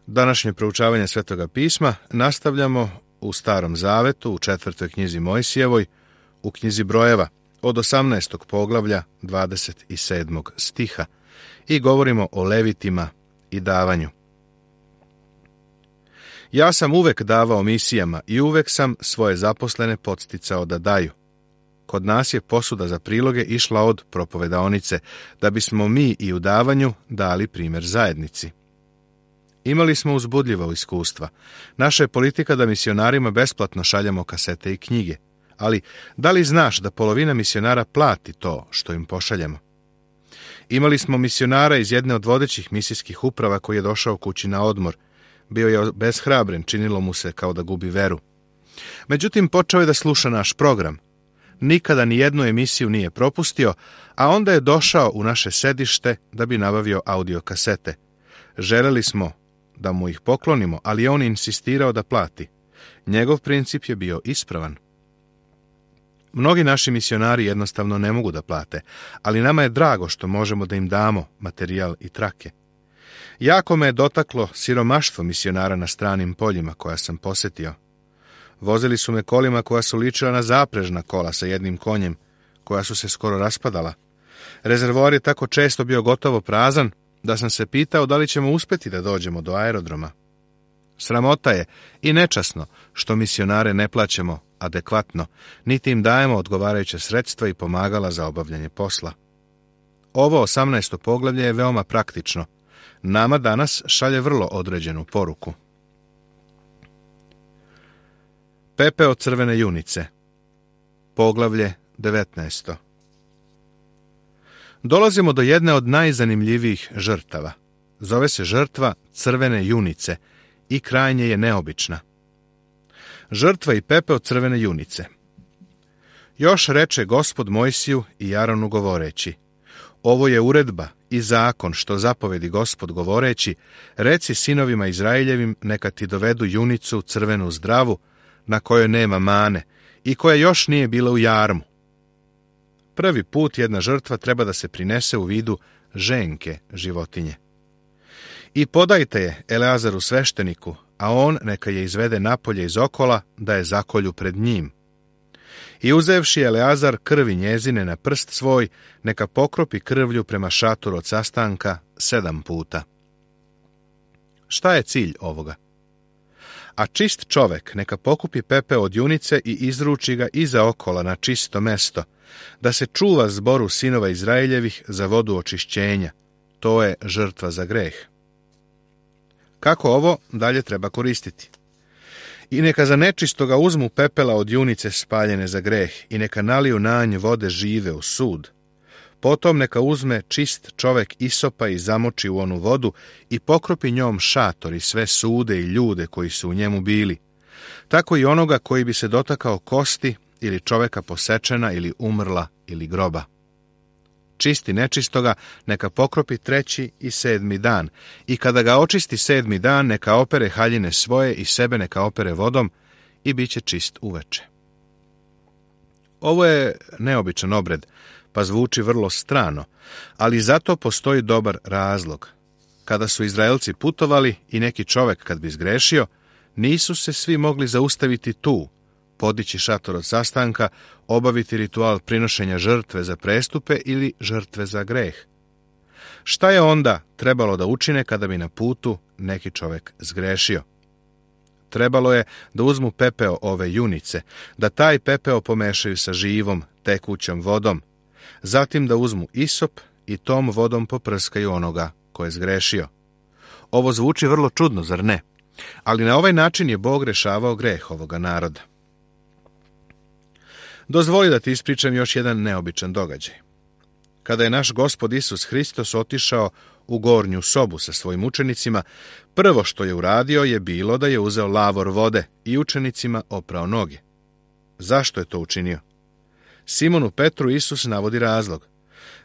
Današnje proučavanje Svetoga pisma nastavljamo u Starom Zavetu, u 4. knjizi Mojsijevoj, u knjizi Brojeva, od 18. poglavlja 27. stiha i govorimo o levitima i davanju. Ja sam uvek davao misijama i uvek sam svoje zaposlene podsticao da daju. Kod nas je posuda za priloge išla od propovedaonice, da bismo mi i u davanju dali primjer zajednici. Imali smo uzbudljiva iskustva. Naša je politika da misionarima besplatno šaljemo kasete i knjige. Ali, da li znaš da polovina misionara plati to što im pošaljemo? Imali smo misionara iz jedne od vodećih misijskih uprava koji je došao kući na odmor. Bio je obeshrabren, činilo mu se kao da gubi veru. Međutim, počeo je da sluša naš program. Nikada ni jednu emisiju nije propustio, a onda je došao u naše sedište da bi nabavio audio kasete. Želeli smo da mu ih poklonimo, ali je on insistirao da plati. Njegov princip je bio ispravan. Mnogi naši misionari jednostavno ne mogu da plate, ali nama je drago što možemo da im damo materijal i trake. Jako me je dotaklo siromaštvo misionara na stranim poljima koja sam posetio. Vozili su me kolima koja su ličila na zaprežna kola sa jednim konjem, koja su se skoro raspadala. Rezervoar je tako često bio gotovo prazan, da sam se pitao da li ćemo uspjeti da dođemo do aerodroma. Sramota je i nečasno što misionare ne plaćamo adekvatno, niti im dajemo odgovarajuće sredstva i pomagala za obavljanje posla. Ovo 18. poglavlje je veoma praktično. Nama danas šalje vrlo određenu poruku. Pepeo crvene junice. Poglavlje 19. Dolazimo do jedne od najzanimljivijih žrtava. Zove se žrtva crvene junice i krajnje je neobična. Žrtva i pepeo crvene junice. Još reče Gospod Mojsiju i Aronu govoreći: ovo je uredba i zakon što zapovedi Gospod govoreći, reci sinovima Izraeljevim neka ti dovedu junicu crvenu zdravu, na kojoj nema mane i koja još nije bila u jarmu. Prvi put jedna žrtva treba da se prinese u vidu ženke životinje. I podajte je Eleazaru svešteniku, a on neka je izvede napolje iz okola da je zakolju pred njim. I uzevši Eleazar krvi njezine na prst svoj, neka pokropi krvlju prema šatoru od sastanka 7 puta. Šta je cilj ovoga? A čist čovek neka pokupi pepeo od junice i izruči ga iza okola na čisto mesto, da se čuva zboru sinova Izraeljevih za vodu očišćenja. To je žrtva za greh. Kako ovo dalje treba koristiti? I neka za nečistoga uzmu pepela od junice spaljene za greh i neka naliju na nj vode žive u sud. Potom neka uzme čist čovek isopa i zamoči u onu vodu i pokropi njom šator i sve sude i ljude koji su u njemu bili. Tako i onoga koji bi se dotakao kosti ili čoveka posečena ili umrla ili groba. Čisti nečistoga neka pokropi 3. i 7. dan i kada ga očisti 7. dan neka opere haljine svoje i sebe neka opere vodom i bit će čist uveče. Ovo je neobičan obred, pa zvuči vrlo strano, ali zato postoji dobar razlog. Kada su Izraelci putovali i neki čovek kad bi zgrešio, nisu se svi mogli zaustaviti tu, podići šator od sastanka, obaviti ritual prinošenja žrtve za prestupe ili žrtve za greh. Šta je onda trebalo da učine kada bi na putu neki čovek zgrešio? Trebalo je da uzmu pepeo ove junice, da taj pepeo pomešaju sa živom, tekućom vodom, zatim da uzmu isop i tom vodom poprskaju onoga ko je zgrešio. Ovo zvuči vrlo čudno, zar ne? Ali na ovaj način je Bog rešavao greh ovoga naroda. Dozvoli da ti ispričam još jedan neobičan događaj. Kada je naš Gospod Isus Hristos otišao u gornju sobu sa svojim učenicima, prvo što je uradio je bilo da je uzeo lavor vode i učenicima oprao noge. Zašto je to učinio? Simonu Petru Isus navodi razlog.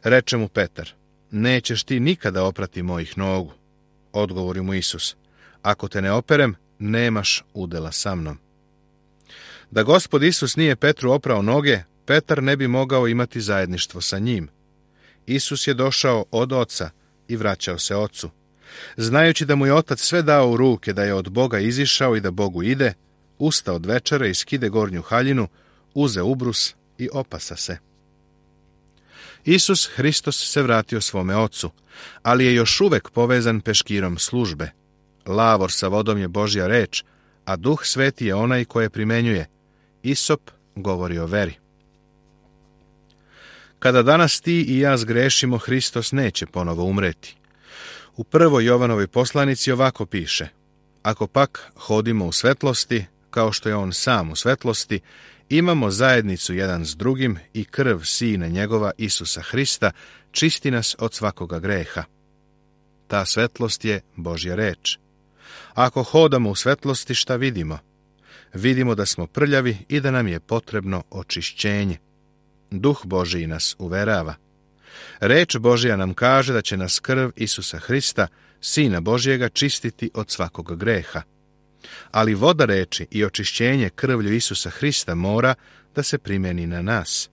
Reče mu Petar: nećeš ti nikada oprati mojih nogu. Odgovori mu Isus: ako te ne operem, nemaš udela sa mnom. Da Gospod Isus nije Petru oprao noge, Petar ne bi mogao imati zajedništvo sa njim. Isus je došao od Oca i vraćao se Ocu. Znajući da mu je otac sve dao u ruke, da je od Boga izišao i da Bogu ide, usta od večera i skide gornju haljinu, uze ubrus i opasa se. Isus Hristos se vratio svome ocu, ali je još uvek povezan peškirom službe. Lavor sa vodom je Božja reč, a Duh Sveti je onaj koje primenjuje. Isop govori o veri. Kada danas ti i ja zgrešimo, Hristos neće ponovo umreti. U 1. Jovanovoj poslanici ovako piše: ako pak hodimo u svetlosti, kao što je on sam u svetlosti, imamo zajednicu jedan s drugim i krv Sina njegova Isusa Hrista čisti nas od svakoga greha. Ta svetlost je Božja reč. Ako hodamo u svetlosti, šta vidimo? Vidimo da smo prljavi i da nam je potrebno očišćenje. Duh Božiji nas uverava. Reč Božja nam kaže da će nas krv Isusa Hrista, Sina Božjega, čistiti od svakog greha. Ali voda reči i očišćenje krvlju Isusa Hrista mora da se primjeni na nas.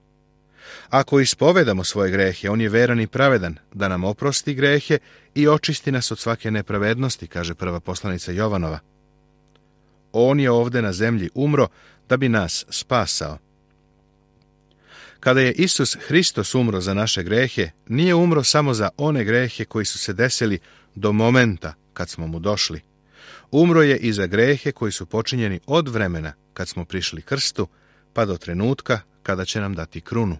Ako ispovedamo svoje grehe, on je veran i pravedan, da nam oprosti grehe i očisti nas od svake nepravednosti, kaže prva poslanica Jovanova. On je ovde na zemlji umro da bi nas spasao. Kada je Isus Hristos umro za naše grehe, nije umro samo za one grehe koji su se desili do momenta kad smo mu došli. Umro je i za grehe koji su počinjeni od vremena kad smo prišli krstu, pa do trenutka kada će nam dati krunu.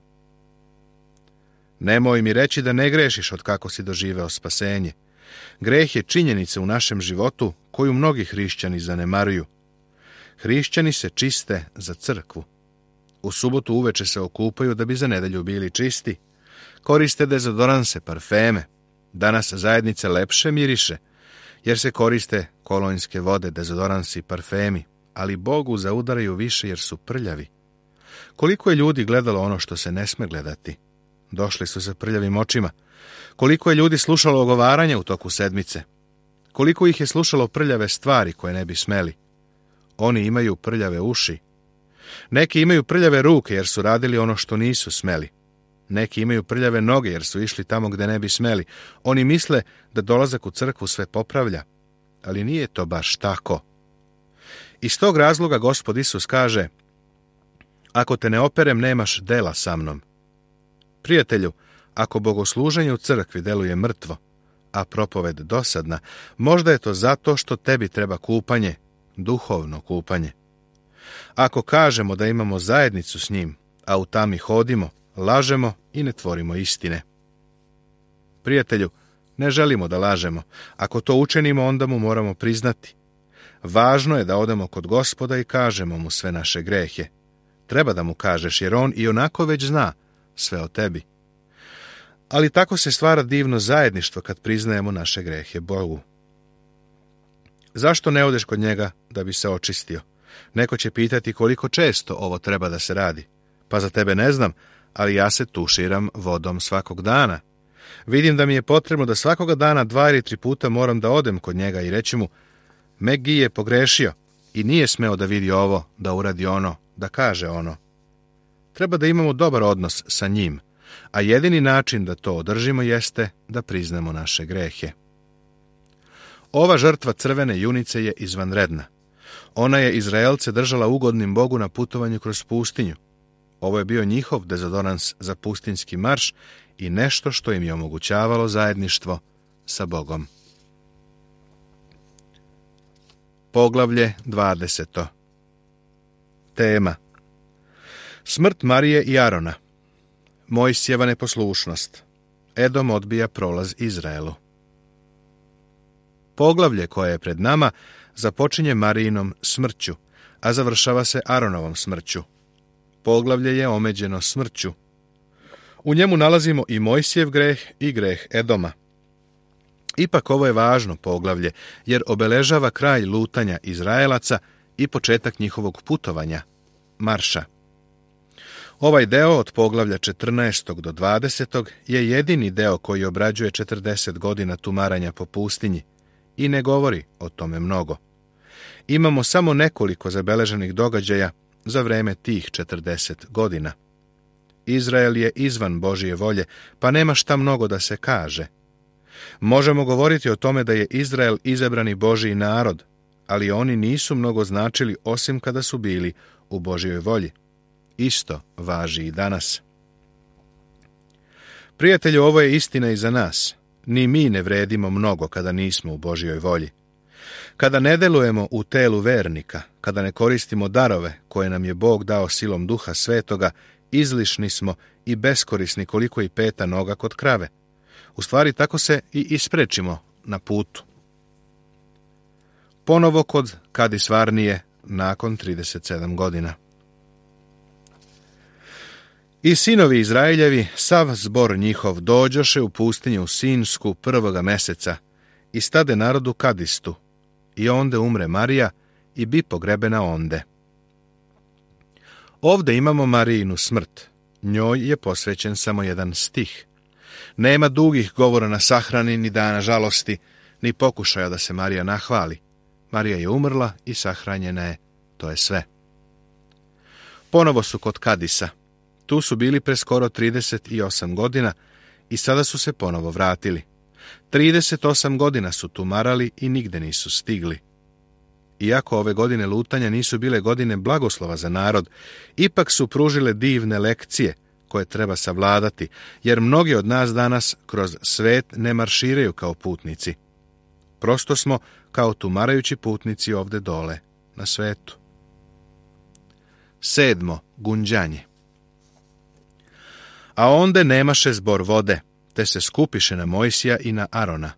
Nemoj mi reći da ne grešiš od kako si doživeo spasenje. Greh je činjenica u našem životu koju mnogi hrišćani zanemaruju. Hrišćani se čiste za crkvu. U subotu uveče se okupaju da bi za nedelju bili čisti. Koriste dezodoranse, parfeme. Danas zajednice lepše miriše, jer se koriste kolonjske vode, dezodoransi, parfemi, ali Bogu zaudaraju više jer su prljavi. Koliko je ljudi gledalo ono što se ne sme gledati? Došli su sa prljavim očima. Koliko je ljudi slušalo ogovaranja u toku sedmice? Koliko ih je slušalo prljave stvari koje ne bi smeli? Oni imaju prljave uši. Neki imaju prljave ruke jer su radili ono što nisu smeli. Neki imaju prljave noge jer su išli tamo gde ne bi smeli. Oni misle da dolazak u crkvu sve popravlja, ali nije to baš tako. Iz tog razloga Gospod Isus kaže: ako te ne operem, nemaš dela sa mnom. Prijatelju, ako bogosluženje u crkvi deluje mrtvo, a propoved dosadna, možda je to zato što tebi treba kupanje, duhovno kupanje. Ako kažemo da imamo zajednicu s njim, a u tami hodimo, lažemo i ne tvorimo istine. Prijatelju, ne želimo da lažemo. Ako to učinimo, onda mu moramo priznati. Važno je da odemo kod Gospoda i kažemo mu sve naše grehe. Treba da mu kažeš, jer on i onako već zna sve o tebi. Ali tako se stvara divno zajedništvo kad priznajemo naše grehe Bogu. Zašto ne odeš kod njega da bi se očistio? Neko će pitati koliko često ovo treba da se radi. Pa za tebe ne znam, ali ja se tuširam vodom svakog dana. Vidim da mi je potrebno da svakoga dana 2 ili 3 puta moram da odem kod njega i reći mu: Megi je pogrešio i nije smeo da vidi ovo, da uradi ono, da kaže ono. Treba da imamo dobar odnos sa njim, a jedini način da to održimo jeste da priznamo naše grehe. Ova žrtva crvene junice je izvanredna. Ona je Izraelce držala ugodnim Bogu na putovanju kroz pustinju. Ovo je bio njihov dezodorans za pustinjski marš i nešto što im je omogućavalo zajedništvo sa Bogom. Poglavlje 20. Tema: smrt Marije i Arona. Mojsijeva neposlušnost. Edom odbija prolaz Izraelu. Poglavlje koje je pred nama započinje Marijinom smrću, a završava se Aronovom smrću. Poglavlje je omeđeno smrću. U njemu nalazimo i Mojsijev greh i greh Edoma. Ipak ovo je važno poglavlje, jer obeležava kraj lutanja Izraelaca i početak njihovog putovanja, marša. Ovaj deo od poglavlja 14. do 20. je jedini deo koji obrađuje 40 godina tumaranja po pustinji i ne govori o tome mnogo. Imamo samo nekoliko zabeleženih događaja za vreme tih 40 godina. Izrael je izvan Božije volje, pa nema šta mnogo da se kaže. Možemo govoriti o tome da je Izrael izabrani Božji narod, ali oni nisu mnogo značili osim kada su bili u Božjoj volji. Isto važi i danas. Prijatelju, ovo je istina i za nas. Ni mi ne vredimo mnogo kada nismo u Božjoj volji. Kada ne delujemo u telu vernika, kada ne koristimo darove koje nam je Bog dao silom Duha Svetoga, izlišni smo i beskorisni koliko i peta noga kod krave. U stvari tako se i isprečimo na putu. Ponovo kod Kadis Varnije nakon 37 godina. I sinovi Izraeljevi, sav zbor njihov, dođoše u pustinju Sinsku 1. meseca i stade narodu Kadistu, i onde umre Marija i bi pogrebena onde. Ovde imamo Marijinu smrt. Njoj je posvećen samo jedan stih. Nema dugih govora na sahrani, ni dana žalosti, ni pokušaja da se Marija nahvali. Marija je umrla i sahranjena je. To je sve. Ponovo su kod Kadisa. Tu su bili pre skoro 38 godina i sada su se ponovo vratili. 38 godina su tumarali i nigde nisu stigli. Iako ove godine lutanja nisu bile godine blagoslova za narod, ipak su pružile divne lekcije koje treba savladati, jer mnogi od nas danas kroz svet ne marširaju kao putnici. Prosto smo kao tumarajući putnici ovde dole, na svetu. 7. Gunđanje. A onde nemaše zbor vode, te se skupiše na Mojsija i na Arona.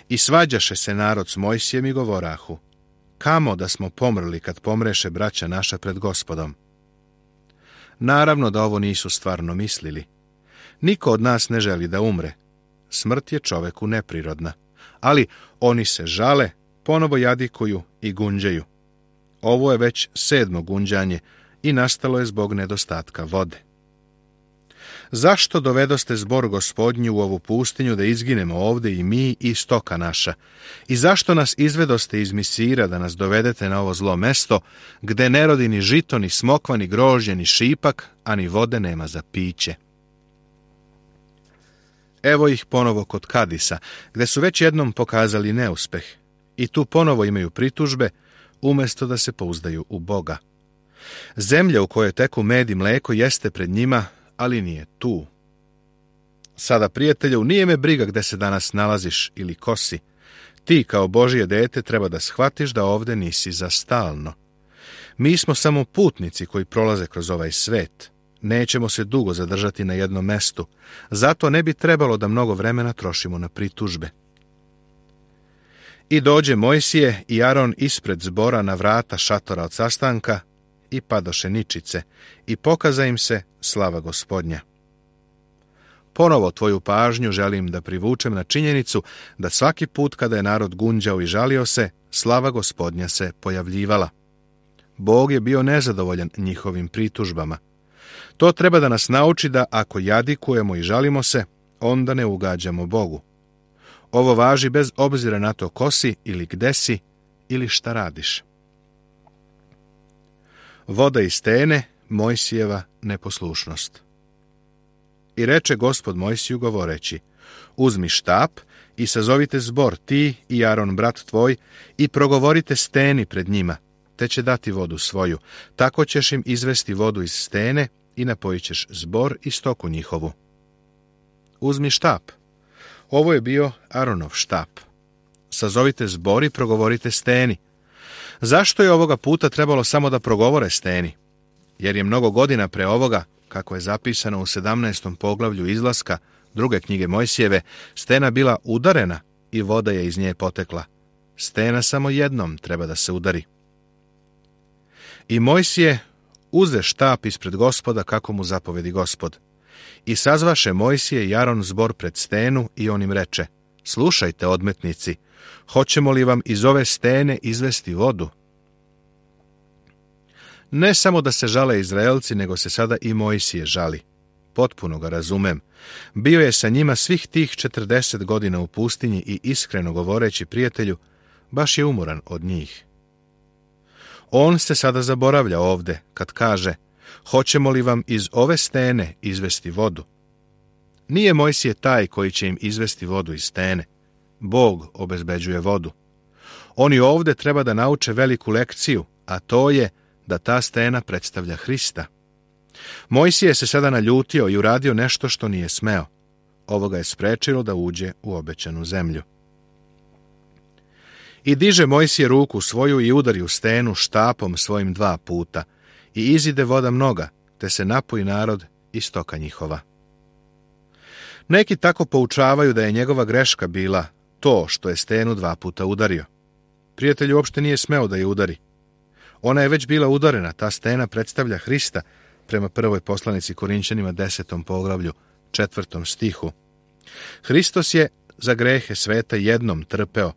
I svađaše se narod s Mojsijem i govorahu: kamo da smo pomrli kad pomreše braća naša pred Gospodom. Naravno da ovo nisu stvarno mislili. Niko od nas ne želi da umre. Smrt je čoveku neprirodna. Ali oni se žale, ponovo jadikuju i gunđaju. Ovo je već 7. gunđanje i nastalo je zbog nedostatka vode. Zašto dovedoste zbor Gospodnju u ovu pustinju da izginemo ovde i mi i stoka naša? I zašto nas izvedoste iz Misira da nas dovedete na ovo zlo mesto, gde ne rodi ni žito, ni smokva, ni grožđe, ni šipak, a ni vode nema za piće? Evo ih ponovo kod Kadisa, gde su već jednom pokazali neuspeh. I tu ponovo imaju pritužbe, umjesto da se pouzdaju u Boga. Zemlja u kojoj teku med i mleko jeste pred njima, ali nije tu. Sada, prijatelju, nije me briga gde se danas nalaziš ili ko si. Ti, kao Božje dete, treba da shvatiš da ovde nisi za stalno. Mi smo samo putnici koji prolaze kroz ovaj svet. Nećemo se dugo zadržati na jednom mestu. Zato ne bi trebalo da mnogo vremena trošimo na pritužbe. I dođe Mojsije i Aron ispred zbora na vrata šatora od sastanka i padoše ničice i pokaza im se slava Gospodnja. Ponovo tvoju pažnju želim da privučem na činjenicu da svaki put kada je narod gunđao i žalio se, slava Gospodnja se pojavljivala. Bog je bio nezadovoljan njihovim pritužbama. To treba da nas nauči da ako jadikujemo i žalimo se, onda ne ugađamo Bogu. Ovo važi bez obzira na to ko si ili gde si ili šta radiš. Voda iz stene, Mojsijeva neposlušnost. I reče Gospod Mojsiju govoreći: uzmi štap i sazovite zbor, ti i Aron brat tvoj, i progovorite steni pred njima, te će dati vodu svoju. Tako ćeš im izvesti vodu iz stene i napojit ćeš zbor i stoku njihovu. Uzmi štap. Ovo je bio Aronov štap. Sazovite zbor i progovorite steni. Zašto je ovoga puta trebalo samo da progovore steni? Jer je mnogo godina pre ovoga, kako je zapisano u 17. poglavlju Izlaska 2. knjige Mojsijeve, stena bila udarena i voda je iz nje potekla. Stena samo jednom treba da se udari. I Mojsije uze štap ispred Gospoda kako mu zapovedi Gospod. I sazvaše Mojsije i Aron zbor pred stenu i on im reče: slušajte, odmetnici, hoćemo li vam iz ove stene izvesti vodu? Ne samo da se žale Izraelci, nego se sada i Mojsije žali. Potpuno ga razumem. Bio je sa njima svih tih 40 godina u pustinji i iskreno govoreći, prijatelju, baš je umoran od njih. On se sada zaboravlja ovde kad kaže: hoćemo li vam iz ove stene izvesti vodu? Nije Mojsije taj koji će im izvesti vodu iz stene. Bog obezbeđuje vodu. Oni ovdje treba da nauče veliku lekciju, a to je da ta stena predstavlja Hrista. Mojsije se sada naljutio i uradio nešto što nije smeo. Ovo ga je sprečilo da uđe u obećanu zemlju. I diže Mojsije ruku svoju i udari u stenu štapom svojim 2 puta, i izide voda mnoga, te se napoji narod i stoka njihova. Neki tako poučavaju da je njegova greška bila to što je stenu 2 puta udario. Prijatelj uopšte nije smeo da je udari. Ona je već bila udarena, ta stena predstavlja Hrista, prema prvoj poslanici Korinćanima 10. poglavlju, 4. stihu. Hristos je za grehe sveta jednom trpeo,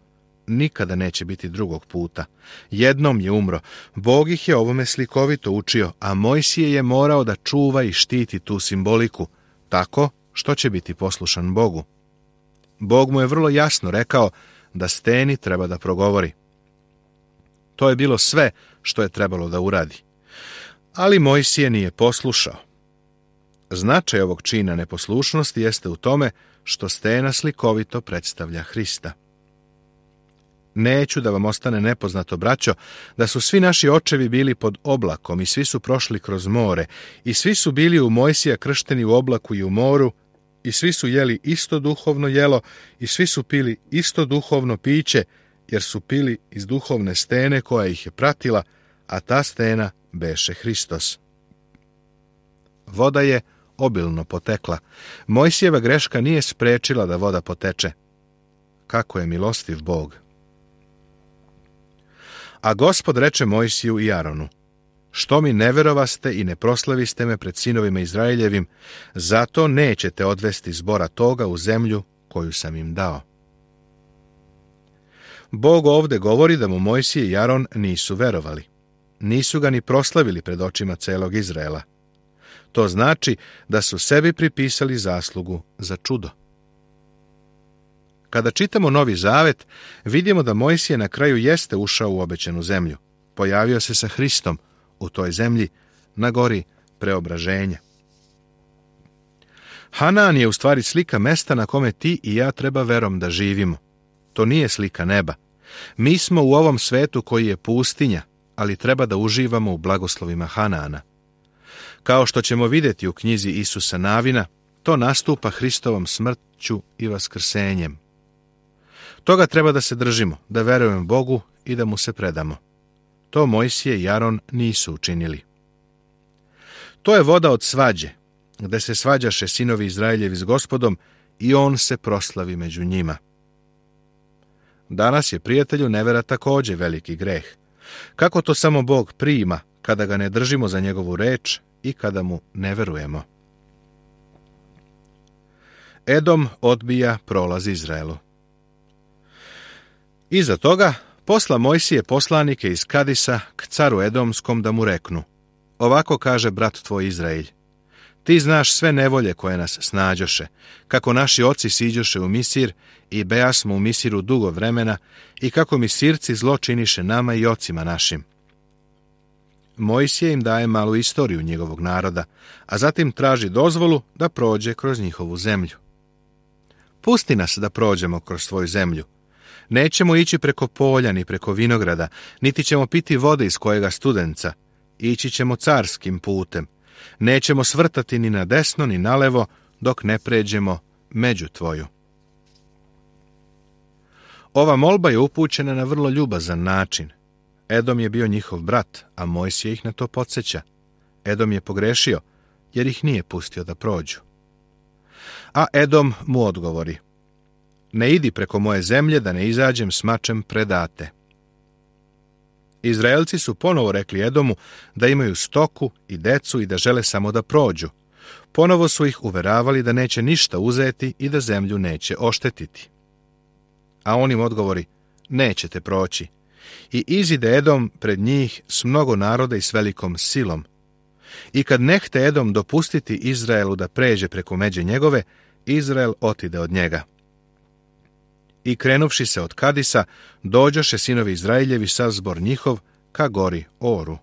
nikada neće biti drugog puta. Jednom je umro. Bog ih je ovome slikovito učio, a Mojsije je morao da čuva i štiti tu simboliku, tako što će biti poslušan Bogu. Bog mu je vrlo jasno rekao da steni treba da progovori. To je bilo sve što je trebalo da uradi. Ali Mojsije nije poslušao. Značaj ovog čina neposlušnosti jeste u tome što stena slikovito predstavlja Hrista. Neću da vam ostane nepoznato, braćo, da su svi naši očevi bili pod oblakom i svi su prošli kroz more i svi su bili u Mojsija kršteni u oblaku i u moru i svi su jeli isto duhovno jelo i svi su pili isto duhovno piće, jer su pili iz duhovne stene koja ih je pratila, a ta stena beše Hristos. Voda je obilno potekla. Mojsijeva greška nije sprečila da voda poteče. Kako je milostiv Bog! A Gospod reče Mojsiju i Aronu: što mi ne verovaste i ne proslaviste me pred sinovima Izraeljevim, zato nećete odvesti zbora toga u zemlju koju sam im dao. Bog ovdje govori da mu Mojsije i Aron nisu verovali. Nisu ga ni proslavili pred očima celog Izraela. To znači da su sebi pripisali zaslugu za čudo. Kada čitamo Novi Zavet, vidimo da Mojsije na kraju jeste ušao u obećanu zemlju. Pojavio se sa Hristom u toj zemlji na gori preobraženja. Hanaan je u stvari slika mesta na kome ti i ja treba verom da živimo. To nije slika neba. Mi smo u ovom svetu koji je pustinja, ali treba da uživamo u blagoslovima Hanaana. Kao što ćemo vidjeti u knjizi Isusa Navina, to nastupa Hristovom smrću i vaskrsenjem. Toga treba da se držimo, da verujemo Bogu i da mu se predamo. To Mojsije i Aron nisu učinili. To je voda od svađe, gde se svađaše sinovi Izraeljevi s Gospodom i on se proslavi među njima. Danas je, prijatelju, nevera također veliki greh. Kako to samo Bog prima kada ga ne držimo za njegovu reč i kada mu ne verujemo? Edom odbija prolaz Izraelu. Iza toga posla Mojsije poslanike iz Kadisa k caru Edomskom da mu reknu: ovako kaže brat tvoj Izraelj, ti znaš sve nevolje koje nas snađoše, kako naši oci siđoše u Misir i bejasmo u Misiru dugo vremena i kako Misirci zlo činiše nama i ocima našim. Mojsije im daje malu istoriju njegovog naroda, a zatim traži dozvolu da prođe kroz njihovu zemlju. Pusti nas da prođemo kroz svoju zemlju. Nećemo ići preko polja ni preko vinograda, niti ćemo piti vode iz kojega studenca. Ići ćemo carskim putem. Nećemo svrtati ni na desno ni na levo dok ne pređemo među tvoju. Ova molba je upućena na vrlo ljubazan način. Edom je bio njihov brat, a Mojsije ih na to podsjeća. Edom je pogrešio, jer ih nije pustio da prođu. A Edom mu odgovori: ne idi preko moje zemlje da ne izađem s mačem predate. Izraelci su ponovo rekli Edomu da imaju stoku i decu i da žele samo da prođu. Ponovo su ih uveravali da neće ništa uzeti i da zemlju neće oštetiti. A on im odgovori: nećete proći. I izide Edom pred njih s mnogo naroda i s velikom silom. I kad nehte Edom dopustiti Izraelu da pređe preko međe njegove, Izrael otide od njega. I krenuvši se od Kadisa, dođoše sinovi Izraeljevi sav zbor njihov ka gori Oru.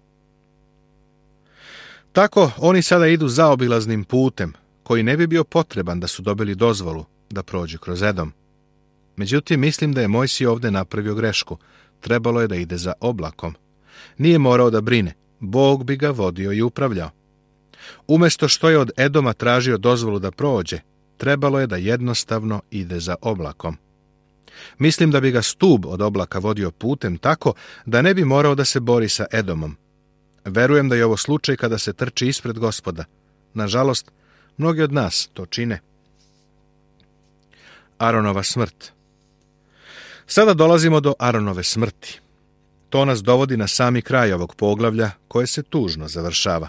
Tako oni sada idu zaobilaznim putem, koji ne bi bio potreban da su dobili dozvolu da prođu kroz Edom. Međutim, mislim da je Mojsije ovdje napravio grešku. Trebalo je da ide za oblakom. Nije morao da brine. Bog bi ga vodio i upravljao. Umjesto što je od Edoma tražio dozvolu da prođe, trebalo je da jednostavno ide za oblakom. Mislim da bi ga stub od oblaka vodio putem tako da ne bi morao da se bori sa Edomom. Verujem da je ovo slučaj kada se trči ispred Gospoda. Nažalost, mnogi od nas to čine. Aronova smrt. Sada dolazimo do Aronove smrti. To nas dovodi na sami kraj ovog poglavlja koje se tužno završava.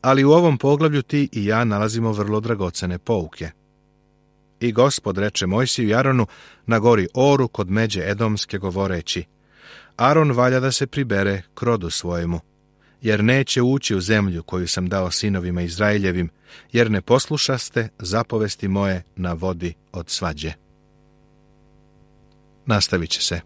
Ali u ovom poglavlju ti i ja nalazimo vrlo dragocene pouke. I Gospod reče Mojsiju i Aronu na gori Oru kod međe Edomske govoreći: Aron valja da se pribere k rodu svojemu, jer neće ući u zemlju koju sam dao sinovima Izraeljevim, jer ne poslušaste zapovesti moje na vodi od svađe. Nastavit će se.